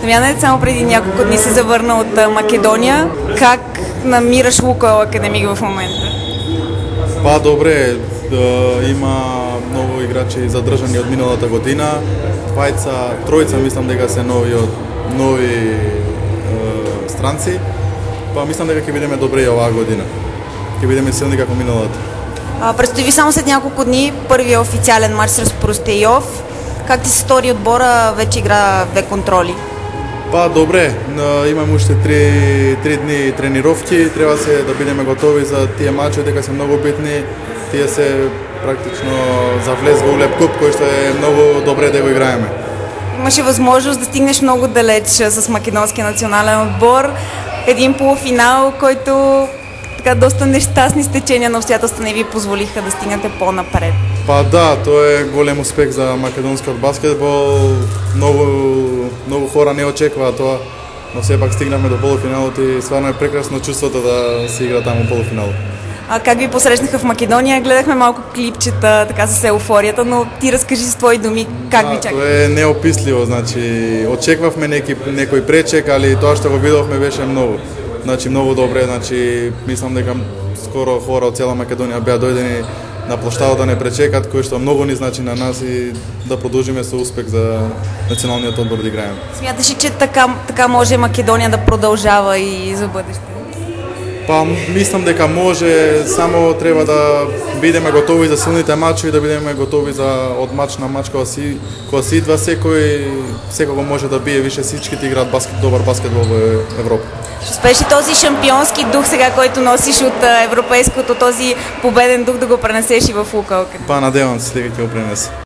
Дамјане, само преди няколко дни се завърна от Македонија. Как намираш Лукоел Академик в момента? Па добре, има многу играчи задржани од миналата година. Тројца мислам дека се нови странци. Па мислам дека ќе бидеме добре и оваа година. Ќе бидеме силни како миналата. Предстои ви само след няколко дни първият официален мач срещу Простејов. Как ти се стори отбора, вече игра две контроли? Па добре, имаме уште три дни тренировки, треба се да бидеме готови за тие мачови, дека се многу битни. Тие се практично за влез во Улеп Куп, кој што е многу добре да го играеме. Имаше възможност да стигнеш много далеч с македонския национален отбор. Един полуфинал, който така доста нещастни стечения на обстоятелства не ви позволиха да стигнете по-напред. Па да, тоа е голем успех за македонскиот баскетбол. Многу хора не очекуваа тоа, но сепак стигнавме до полуфиналот и стварно е прекрасно чувството да се игра таму полуфинал. Как ви посрещнаха в Македонија? Гледахме малко клипчета така с еуфорията, но ти разкажи с твои думи как ви чака. Тоа е неописливо, значи очекувавме некој пречек, али тоа што го видовме беше многу. Значи многу добре, значи мислам дека скоро хора од цела Македонија беа дојдени на площадот да не пречекат, кој што многу ни значи на нас и да продолжиме со успех за националниот одбор да играеме. Смяташ ли, че така може Македонија да продолжава и за бъдеще? Па мислам дека може, само треба да бидеме готови за силните мачови, да бидеме готови за од мач на мач кога си идва секој може да бие више, всичките играат добар баскетбол во Европа. Ще успееш ли този шампионски дух сега, който носиш от европейското, този победен дух да го пренесеш и в Лукоел? Па надевам се дека ќе го пренесам.